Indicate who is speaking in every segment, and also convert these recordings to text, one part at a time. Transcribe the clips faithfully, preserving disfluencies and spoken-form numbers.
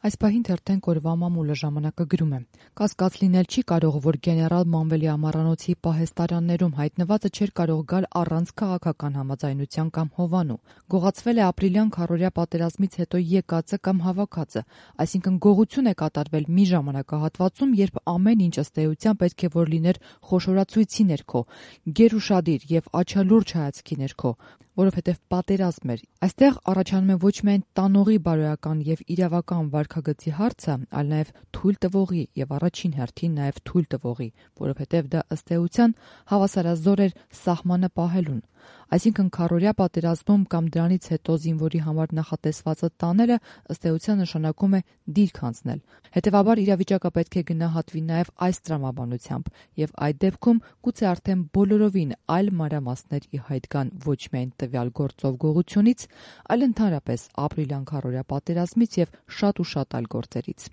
Speaker 1: Այս պահին թերթենք օրվա մամուլը ժամանակը գրում է. «Կասկած լինել չի կարող, որ գեներալ Մանվելի ամառանոցի պահեստարաններում հայտնվածը չէր կարող գալ առանց քաղաքական համաձայնության կամ հովանու։ Գողացվել է ապրիլյան քառօրյա պատերազմից հետո եկածը կամ հավաքածը, այսինքն գողություն է կատարվել մի ժամանակահատվածում, երբ ամեն ինչ ըստ էության պետք է որ լիներ խոշորացույցի ներքո, գերուշադիր եւ աչալուրջ հայացքի ներքո, որովհետեւ պատերազմ էր։ Այստեղ առաջանում է ոչ միայն տանողի բարոյական եւ իրավական վարքագծի հարցը, այլ նաեւ թույլ տվողի եւ առաջին հերթին նաեւ թույլ տվողի, որովհետեւ դա ըստ էության հավասարազոր էր սահմանը պահելուն։ Այսինքն քառօրյա պատերազմում կամ դրանից հետո զինվորի համար նախատեսվածը տանելը ըստ էության նշանակում է դիրք անցնել։ Հետևաբար իրավիճակը պետք է գնահատվի նաեւ այս տրամաբանությամբ, եւ այդ դեպքում գուցե արդեն բոլորովին այլ մանրամասներ ի հայտ գան ոչ միայն տվյալ գործով գողությունից, այլ ընդհանրապես ապրիլյան քառօրյա պատերազմից եւ շատ ու շատ այլ գործերից»։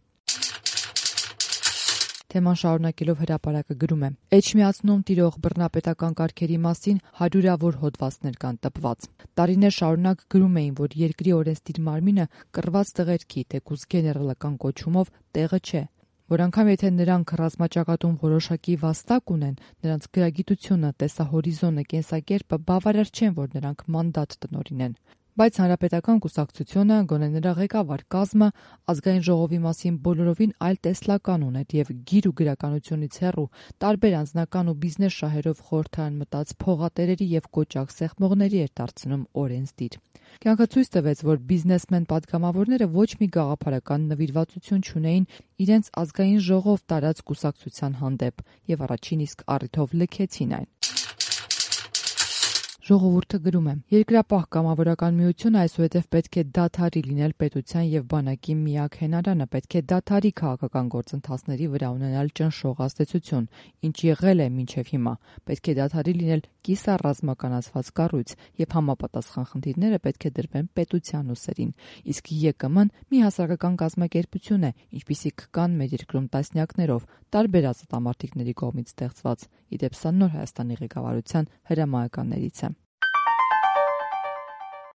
Speaker 1: Թեման շարունակելով հրապարակը գրում է. «Էջմիածնում տիրող բռնապետական կարգերի մասին հարյուրավոր հոդվածներ կան տպված։ Տարիներ շարունակ գրում էին, որ երկրի օրենսդիր մարմինը կռված տղերքի, թեկուզ գեներալական կոչումով, տեղը չէ, որ անգամ եթե նրանք ռազմաճակատում որոշակի վաստակ ունեն, նրանց գրագիտությունը, տեսահորիզոնը, կենսակերպը բավարար չեն, որ նրանք մանդատ տնօրինեն։ Բայց հանրապետական կուսակցությունը, գոնե նրա ղեկավար կազմը, ազգային ժողովի մասին բոլորովին այլ տեսլական ուներ եւ գիր ու գրականությունից հեռու տարբեր անձնական ու բիզնես շահերով խորհրդարան մտած փողատերերի եւ կոճակ սեղմողների էր դարձնում օրենսդիր։ Կյանքը ցույց տվեց, որ բիզնեսմեն պատգամավորները ոչ մի գաղափարական նվիրվածություն չունեին իրենց ազգային ժողով տարած կուսակցության հանդեպ եւ առաջին իսկ առիթով լքեցին այն»։ Ժողովուրդը գրում է. «Երկրապահ կամավորական միությունը այսուհետև պետք է դադարի լինել պետության եւ բանակի միակ հենարանը, պետք է դադարի քաղաքական գործընթացների վրա ունենալ ճնշող ազդեցություն, ինչ եղել է մինչեւ հիմա, պետք է դադարի լինել կիսառազմականացված կառույց եւ համապատասխան խնդիրները պետք է դրվեն պետության ուսերին, իսկ ԵԿՄ-ն մի հասարակական կազմակերպություն է, ինչպիսիք կան մեր երկրում տասնյակներով, տարբեր ազատամարտիկների կողմից ստեղծված, ի դեպ սա նոր Հայաստանի ղեկավարության հրամայականներից է»։